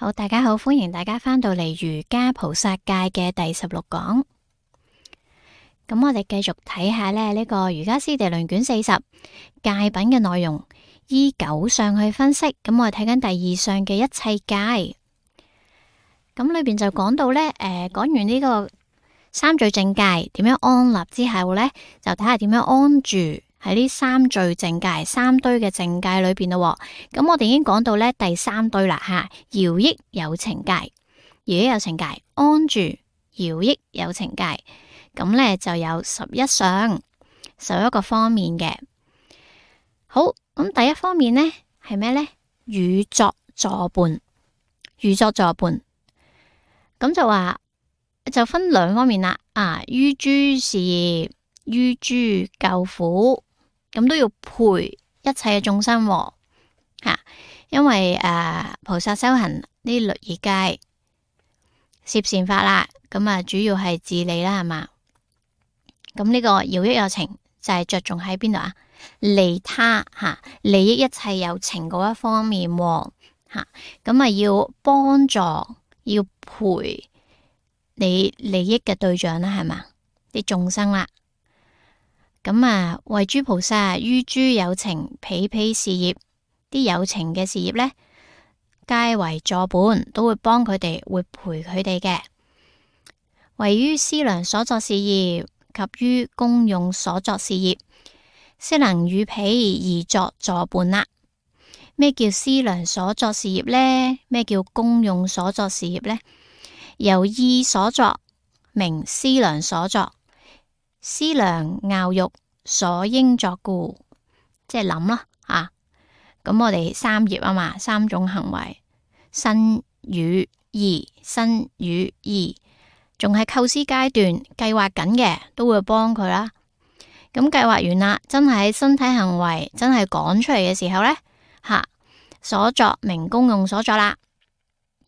好，大家好，歡迎大家返到嚟瑜伽菩薩戒嘅第16講。咁我哋繼續睇下呢個瑜伽師地論卷40戒品嘅內容，依9相去分析。咁我哋睇緊第2相嘅一切戒。咁裏邊就講到呢，講完呢個三聚淨戒點樣安立之後呢，就睇下點樣安住喺呢三聚淨戒三堆嘅淨戒裏邊咯。咁我哋已經講到呢第3堆啦吓，饒益有情戒，饒益有情戒安住饒益有情戒，咁呢就有11相，11個方面嘅。好，咁第一方面呢係咩呢？與作助伴，與作助伴，咁就話就分2方面啦。於諸事業，於諸救苦，咁都要陪一切嘅眾生吓，因為菩薩修行呢律儀戒攝善法啦，咁主要係自利啦，係嘛？咁呢個饒益有情就係着重喺邊度啊？利他吓，利益一切有情嗰一方面吓，咁要幫助要陪你利益嘅對象啦，係嘛？啲眾生啦。咁為諸菩薩於諸有情彼彼事業，啲有情嘅事業呢，皆為助伴，都會幫佢哋，會陪佢哋嘅。為於資糧所作事業及於功用所作事業，悉能與彼而作助伴啦。咩叫資糧所作事業呢？咩叫功用所作事業呢？由意所作，名資糧所作。思量樂欲所應作故，即係諗啦咁我哋3業啊嘛，3種行為，身語意，身語意，仲係構思階段計劃緊嘅，都會幫佢啦。咁計劃完啦，真係喺身體行為真係講出嚟嘅時候呢，所作名功用所作啦。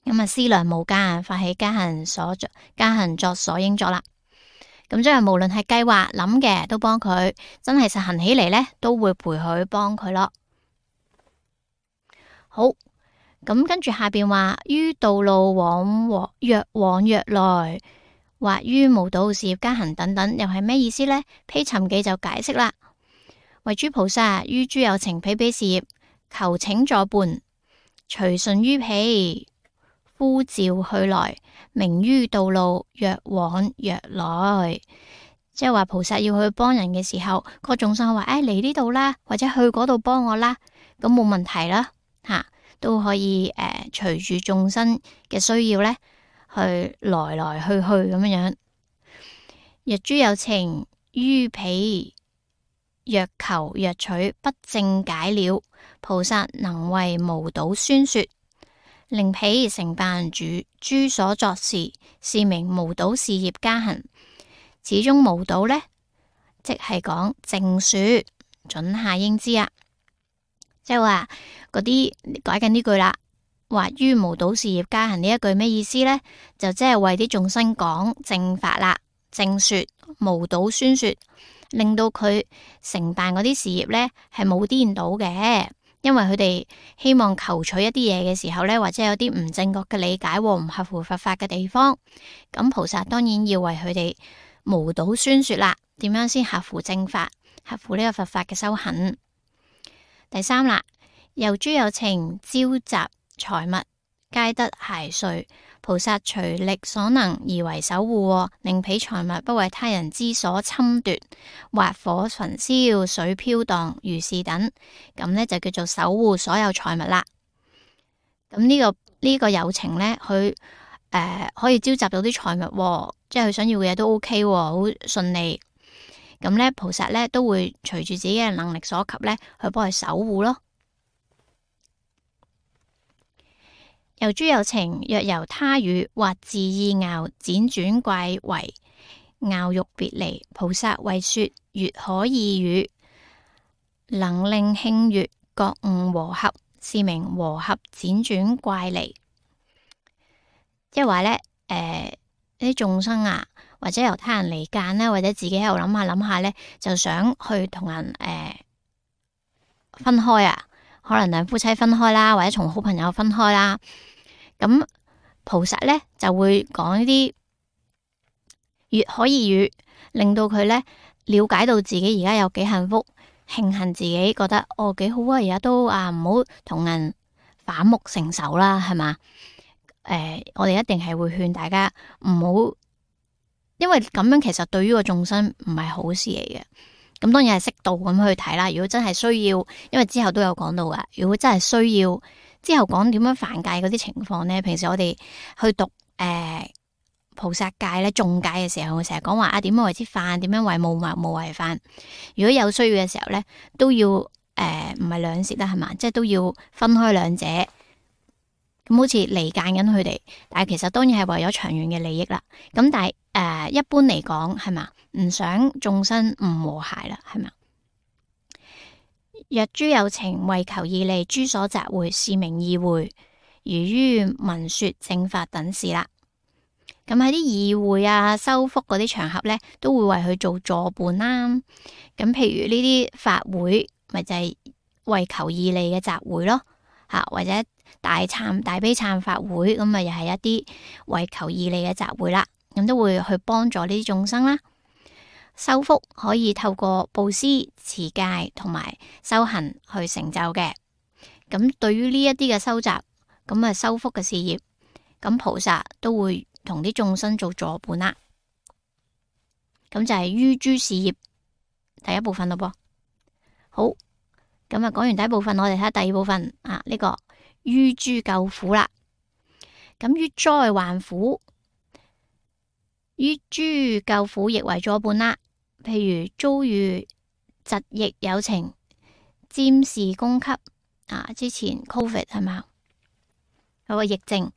咁思量無間，發起加行所作，加行作所應作啦。咁即係無論係計劃諗嘅都幫佢，真係實行起嚟呢，都會陪佢幫佢咯。好，咁跟住下邊話於道路若往若來，或於無道事業加行等等，又係咩意思呢？披尋記就解釋啦。為諸菩薩於諸有情彼彼事業求請助伴，隨順於彼呼召去來，名於道路若往若來。即係話菩薩要去幫人嘅時候，個眾生話嚟呢度啦，或者去嗰度幫我啦，咁冇問題啦都可以隨住眾生嘅需要呢，去來來去去咁樣。若諸有情於彼若求若取不正解了，菩薩能為無倒宣說，令彼成辦諸所作事，是名無倒事業加行。始終無倒呢，即係講正說，准下應知啊。即係話嗰啲改緊呢句啦，話於無倒事業加行呢一句咩意思呢？就即係為啲眾生講正法啦，正說無倒宣說，令到佢成辦嗰啲事業呢係冇顛倒嘅。因為佢哋希望求取一啲嘢嘅時候呢，或者有啲唔正確嘅理解，唔合乎佛法嘅地方，咁菩薩當然要為佢哋無倒宣說啦。點樣先合乎正法，合乎呢個佛法嘅修行？第3啦，由諸有情招集財物，皆得諧穗，菩薩隨力所能而為守護，令彼財物不為他人之所侵奪，或火焚燒、水飄蕩，如是等，咁呢就叫做守護所有財物啦。咁呢個有情呢，佢可以召集到啲財物，即係佢想要嘅嘢都 OK，好順利。咁呢，菩薩呢都會隨住自己嘅能力所及呢，去幫佢守護咯。由諸有情若由他語或自意樂輾轉怪違，樂欲別離，菩薩為說悅可意語，能令慶悅覺悟和合，是名和合輾轉怪離。即係話呢，啲眾生或者由他人離間啦，或者自己喺度諗下呢，就想去同人分開可能兩夫妻分開啦，或者從好朋友分開啦。咁菩薩咧就會講呢啲越可以語，令到佢咧了解到自己而家有幾幸福，慶幸自己覺得幾好啊，而家都唔好同人反目成仇啦，係嘛？我哋一定係會勸大家唔好，因為咁樣其實對於個眾生唔係好事嚟嘅。咁當然係適度咁去睇啦。如果真係需要，因為之後都有講到噶。如果真係需要，之後講點樣犯戒嗰啲情況呢？平時我哋去讀菩薩戒咧、眾戒嘅時候，我成日講話點樣為之犯，點樣為無為犯。如果有需要嘅時候呢，都要唔係兩舌啦，係嘛？即係都要分開兩者。咁好似離間緊佢哋，但係其實當然係為咗長遠嘅利益啦。咁但係一般嚟講係嘛，唔想眾生唔和諧啦，係嘛？若諸有情為求義利，諸所集會，是名議會，如於聞說正法等事啦。咁喺啲議會啊、修福嗰啲場合咧，都會為佢做助伴啦。咁譬如呢啲法會，咪就係為求義利嘅集會咯，或者大悲懺法會，咁咪又係一啲為求義利嘅集會啦。咁都會去幫助呢啲眾生啦。修福可以透過布施、持戒同埋修行去成就嘅。咁對於呢一啲嘅修習，咁啊修福嘅事業，咁菩薩都會同啲眾生做助伴啦。咁就係於諸事業第一部分咯噃。好，咁啊講完第一部分，我哋睇下第二部分呢個於諸救苦啦。咁於災患苦，於諸救苦亦為助伴啦。譬如遭遇疾疫有情，占士供給之前 Covid 係嘛，有個疫症，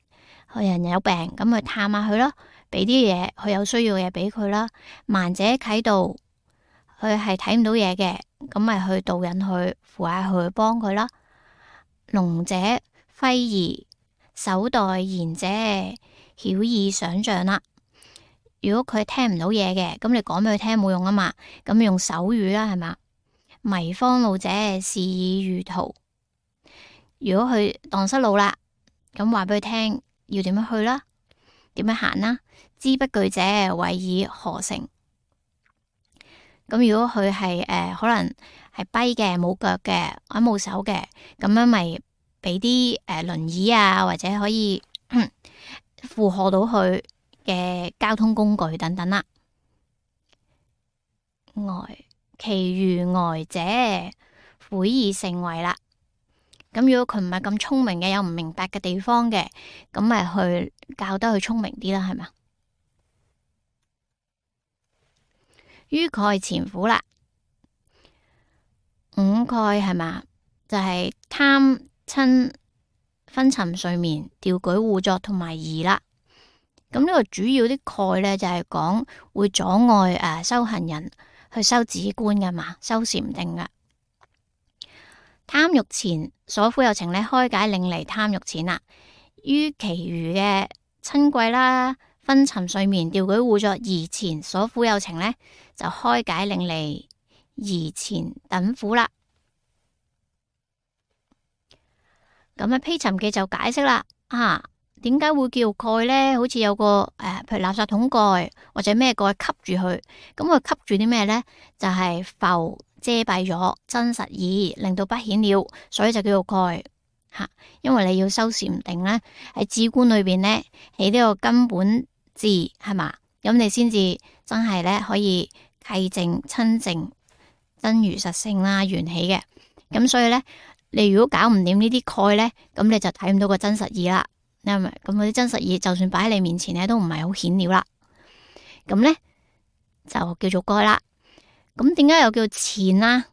佢人有病，咁去探下佢咯，俾啲嘢佢有需要嘅嘢俾佢啦。盲者啟導，佢係睇唔到嘢嘅，咁咪去導引佢，扶下佢，幫佢啦。聾者揮儀，手代言者曉意想象啦。如果佢聽唔到嘢嘅，咁你講俾佢聽冇用啊嘛，咁用手語啦，係嘛？迷荒路者示以喻途。如果佢蕩失路啦，咁話俾佢聽要點樣去啦，點樣行啦。知不具者謂以何成。咁如果佢係可能係跛嘅、冇腳嘅、或者冇手嘅，咁樣咪俾啲輪椅啊，或者可以負荷到佢嘅交通工具等等啦。其餘呆者悔以成為啦。咁如果佢唔係咁聰明嘅，有唔明白嘅地方嘅，咁咪去教得佢聰明啲啦，係嘛？於蓋前苦啦，五蓋係嘛？就係貪嗔昏沉睡眠、掉舉互作同埋疑啦。咁呢個主要啲蓋咧，就係講會阻礙修行人去修止觀噶嘛，修禪定噶。貪欲纏所苦有情咧，開解令離貪欲纏啦。於其餘嘅嗔恚啦、昏沉睡眠、掉舉互作、疑纏所苦有情咧，就開解令離疑纏等苦啦。咁啊，披尋記就解釋啦，點解會叫蓋呢？好似有個譬如垃圾桶蓋或者咩蓋吸住佢，咁佢吸住啲咩呢？就係浮遮蔽咗真實義，令到不顯了，所以就叫做蓋吓。因為你要修禪定呢，喺止觀裏邊呢，起呢個根本智係嘛，咁你先至真係呢可以契證親證真如實性啦，緣起嘅。咁所以呢，你如果搞唔掂呢啲蓋呢，咁你就睇唔到個真實義啦。咁嗰啲真實義，就算擺喺你面前咧，都唔係好顯了啦。咁咧就叫做蓋啦。咁點解又叫纏啦？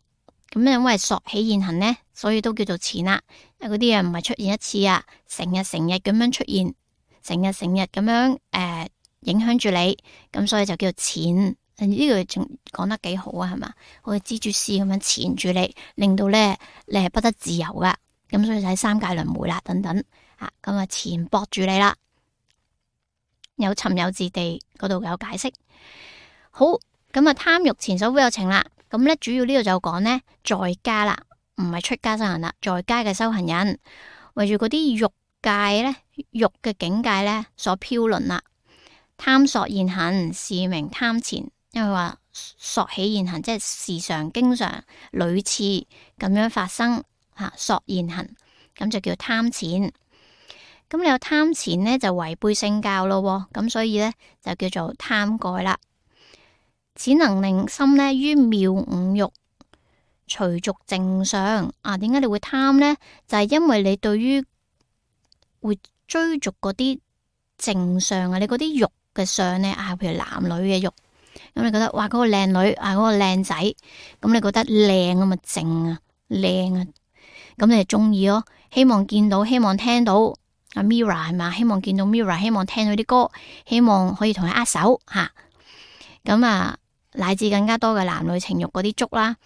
咁因為索起現行咧，所以都叫做纏啦。因為嗰啲嘢唔係出現一次啊，成日咁樣出現，成日咁樣影響住你，咁所以就叫做纏。呢個仲講得幾好啊，係嘛？好似蜘蛛絲咁樣纏住你，令到咧你係不得自由噶。咁所以就喺三界輪迴啦，等等。咁啊，纏縛住你啦，有尋有字地嗰度有解釋。好，咁啊，貪欲纏所苦有情啦。咁咧，主要呢度就講呢，在家啦，唔係出家修行啦，在家嘅修行人，為住嗰啲欲界咧，欲嘅境界咧所飄淪啦。貪索現行，是名貪錢。因為話索起現行，即係時常、經常、屢次咁樣發生吓，索現行，咁就叫貪錢。咁你有貪錢呢，就違背聖教咯，咁所以呢，就叫做貪蓋啦。只能令心呢於妙五欲隨逐淨相啊。點解你會貪呢？就係因為你對於會追逐嗰啲淨相啊，你嗰啲欲嘅相呢，啊，譬如男女嘅欲，咁你覺得哇，嗰個靚女啊，嗰個靚仔，咁你覺得靚啊嘛，淨啊，靚啊，咁你就中意咯，希望見到，希望聽到。阿 Mirror 係嘛？希望見到 Mirror，希望聽到啲歌，希望可以同佢握手吓。咁乃至更加多嘅男女情欲嗰啲足啦。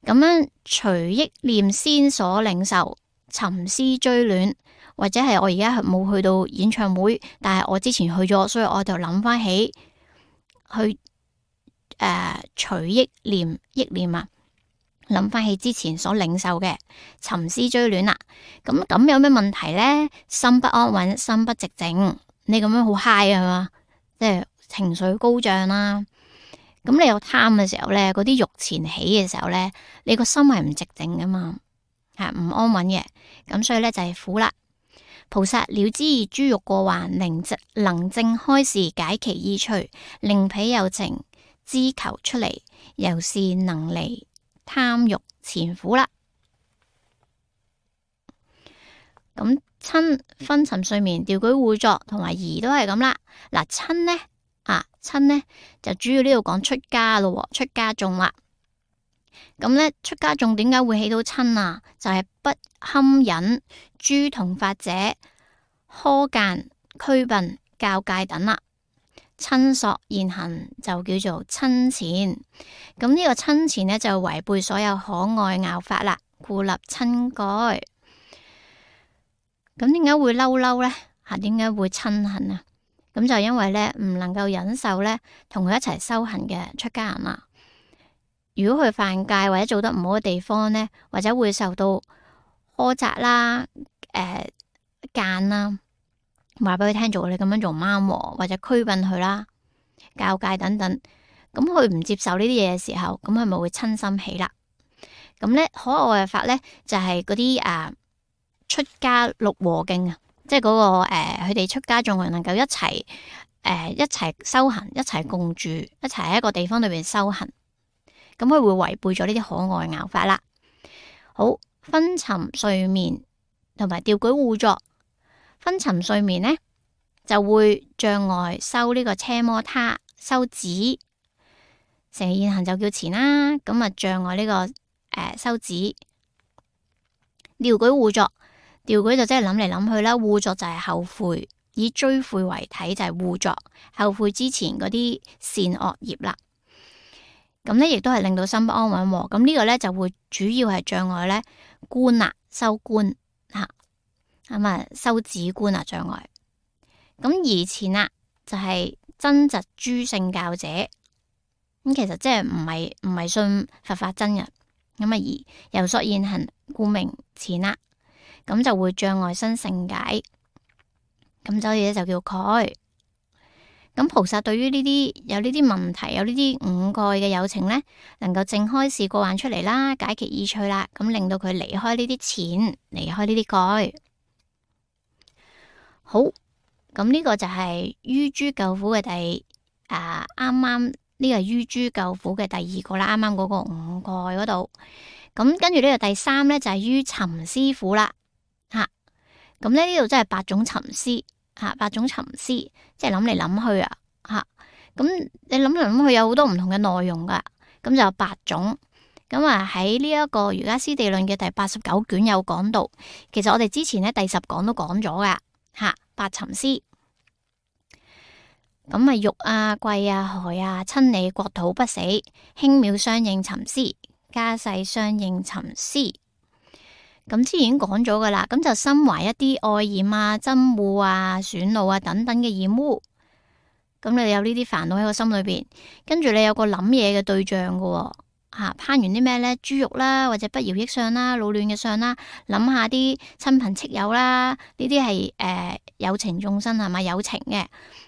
咁樣隨憶念先所領受，尋思追戀，或者係我而家冇去到演唱會，但係我之前去咗，所以我就諗翻起去隨憶念啊。諗翻起之前所領受嘅尋思追戀啦，咁有咩問題呢？心不安穩，心不寂靜，你咁樣好 high 啊嘛，即係情緒高漲啦。咁你有貪嘅時候呢，嗰啲欲前起嘅時候呢，你個心係唔寂靜噶嘛，係唔安穩嘅。咁所以呢，就係苦啦。菩薩了知諸欲過患，能正開示解其意趣，令彼有情知求出離，由是能離貪欲前苦啦。咁瞋昏沉睡眠、掉舉互作同埋疑都係咁啦。嗱，瞋呢就主要呢度講出家咯，出家眾啦。咁呢，出家眾點解會起到瞋啊？就係不堪忍諸同法者苛間驅笨教誡等啦。瞋索現行就叫做瞋纏，咁呢個瞋纏呢，就違背所有可愛樂法啦，故立瞋蓋。咁點解會嬲呢？點解會瞋恨啊？咁就因為呢，唔能夠忍受呢同佢一齊修行嘅出家人啦。如果佢犯戒或者做得唔好嘅地方呢，或者會受到苛責啦、諫啦。話俾佢聽做，你咁樣做唔啱，或者驅笨佢啦、教誡等等。咁佢唔接受呢啲嘢嘅時候，咁佢咪會瞋心起啦。咁咧可愛嘅法咧就係嗰啲出家六和敬啊，即係嗰個佢哋出家眾人能夠一齊修行，一齊共住，一齊喺一個地方裏邊修行。咁佢會違背咗呢啲可愛嘅樂法啦。好，昏沉睡眠同埋掉舉互作。昏沉睡眠呢，就會障礙修呢個奢摩他，修止成現行就叫纏啦。咁障礙呢個修止。掉舉互作，掉舉就即係諗嚟諗去啦，互作就係後悔，以追悔為體就係互作，後悔之前嗰啲善惡業啦。咁呢亦都係令到心不安穩。咁呢個呢，就會主要係障礙呢觀啦，修觀吓。修止觀障礙。咁疑纏啦，就係憎嫉諸聖教者。咁其實即係唔係信佛法真嘅。咁疑由索現行，故名纏啦。咁就會障礙生勝解。咁所以咧就叫蓋。咁菩薩對於呢啲有呢啲問題，有呢啲五蓋嘅有情呢，能夠正開示過患出嚟啦，解其意趣啦，咁令到佢離開呢啲纏，離開呢啲蓋。好，咁呢個就係於諸救苦嘅啱啱呢個係於諸救苦嘅第二個啦，啱啱嗰個五蓋嗰度。咁跟住呢個第三呢，就係於尋思苦啦，咁呢度真係八種尋思八種尋思，即係諗嚟諗去咁你諗嚟諗去有好多唔同嘅內容噶，咁就有八種。咁喺呢一個瑜伽師地論嘅第89卷有講到，其實我哋之前呢第10講都講咗噶。八尋思，咁欲貴害親利國土不死，輕渺相應尋思，家世相應尋思。咁之前已經講咗噶啦，咁就心懷一啲愛染憎惡損惱等等嘅染污。咁你有呢啲煩惱喺個心裏邊，跟住你有個諗嘢嘅對象噶，攀完啲咩呢？豬肉啦，或者不饒益相啦，老嫩嘅相啦，諗下啲親朋戚友啦，呢啲係有情眾生係咪？有情嘅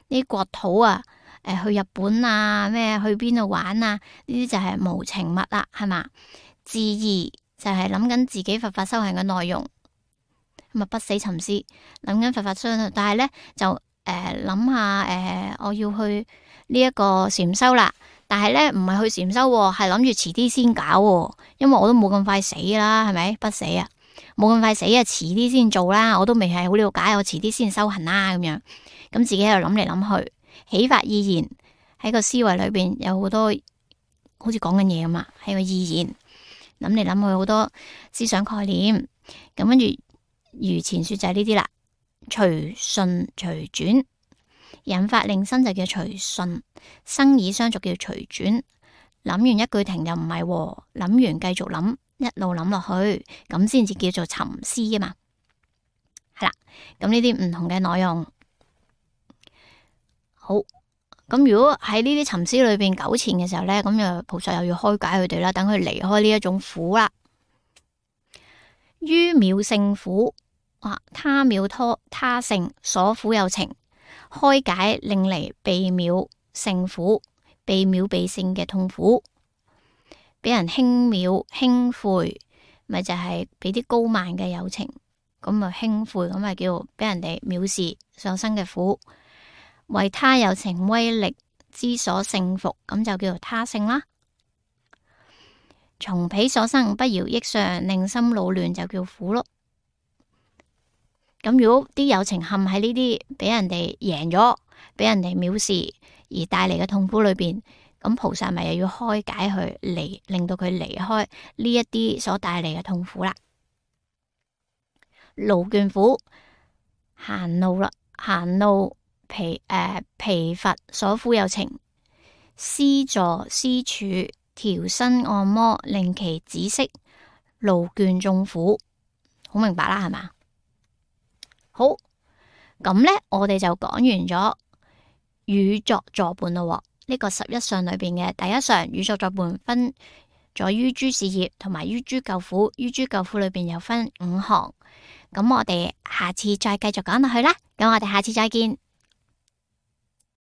呢啲國土啊，去日本啊，咩去邊度玩啊？呢啲就係無情物啦，係嘛？自義就係諗緊自己佛法修行嘅內容，咁啊不死尋思，諗緊佛法修行，但係呢，就諗下我要去呢一個禪修啦。但係咧，唔係去禪修，係諗住遲啲先搞，因為我都冇咁快死啦，係咪？不死啊，冇咁快死啊，遲啲先做啦，我都未係好了解，我遲啲先修行啦，咁樣，咁自己喺度諗嚟諗去，起發意言喺個思維裏邊有好多，好似講緊嘢咁啊，喺個意言諗嚟諗去好多思想概念，咁跟住如前說就係呢啲啦，隨順隨轉。引發令生就叫隨順，生以相續叫隨轉。諗完一句停又唔係，諗完繼續諗，一路諗落去，咁先至叫做沉思啊嘛。係啦，咁呢啲唔同嘅內容。好，咁如果喺呢啲沉思裏邊糾纏嘅時候呢，咁就菩薩又要開解佢哋啦，等佢離開呢一種苦啦。於渺勝苦，他渺他勝，所苦有情。開解令嚟被渺勝苦，被渺被勝嘅痛苦，俾人輕藐輕侮，咪就係俾啲高慢嘅有情，咁啊輕侮，咁啊叫俾人哋藐視所生嘅苦。為他有情威力之所勝服，咁就叫做他勝啦。從彼所生不饒益相，令心惱亂，就叫苦咯。咁如果啲有情陷喺呢啲俾人哋贏咗，俾人哋藐視而帶嚟嘅痛苦裏邊，咁菩薩咪又要開解佢，令到佢離開呢一啲所帶嚟嘅痛苦啦。勞倦苦，閒怒啦，閒怒疲乏所苦有情，施座施處調身按摩，令其止息勞倦眾苦。好明白啦，係嘛？好，咁呢，我哋就講完咗語作助伴咯。呢個11相裏邊嘅第一相語作助伴分咗於諸事業同埋於諸救苦，於諸救苦裏邊有分5行。咁我哋下次再繼續講落去啦。咁我哋下次再見。